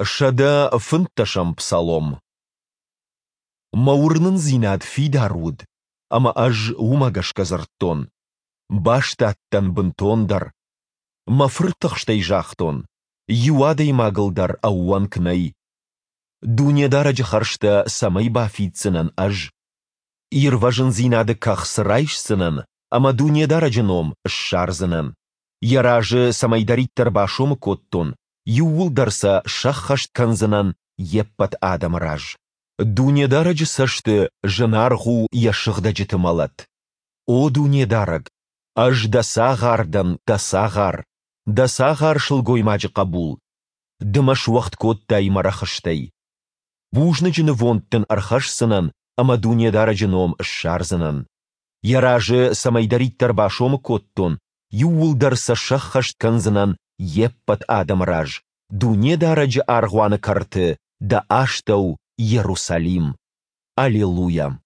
115-ӕм псалом. Мӕ уырнындзинад фидар уыд, ӕмӕ ӕз уымӕ гӕсгӕ дзырдтон: Бастадтӕн бынтондӕр. Мӕ фыртыхстӕй загътон: Иу адӕймагыл дӕр ӕууӕнк нӕй. Дунедарӕджы хӕрзтӕ цӕмӕй бафиддзынӕн ӕз? Ирвӕзындзинады кӕхц райсдзынӕн ӕмӕ Дунедарӕджы ном ссардзынӕн. Йӕ разы цӕмӕйдӕриддӕр басомы кодтон, иууылдӕр сӕ сӕххӕст кӕндзынӕн Йе ппӕт адӕмы раз. Дунедарӕджы цӕсты зынаргъ у Йӕ сыгъдӕджыты мӕлӕт. О Дунедарӕг, ӕз Дӕ цагъар дӕн, Дӕ цагъар, Дӕ цагъар сылгоймаджы хъӕбул. Ды мӕ суӕгъд кодтай мӕ рӕхыстӕй. Бузныджы нывонд Дын ӕрхӕсдзынӕн ӕмӕ Дунедарӕджы ном ссардзынӕн. Йӕ разы цӕмӕйдӕриддӕр басомы кодтон, иууылдӕр сӕ сӕххӕст кӕндзынӕн Йе ппӕт адӕмы раз, Дунедарӕджы аргъуаны кӕрты, дӕ астӕу, Иерусалим! Алелуйа!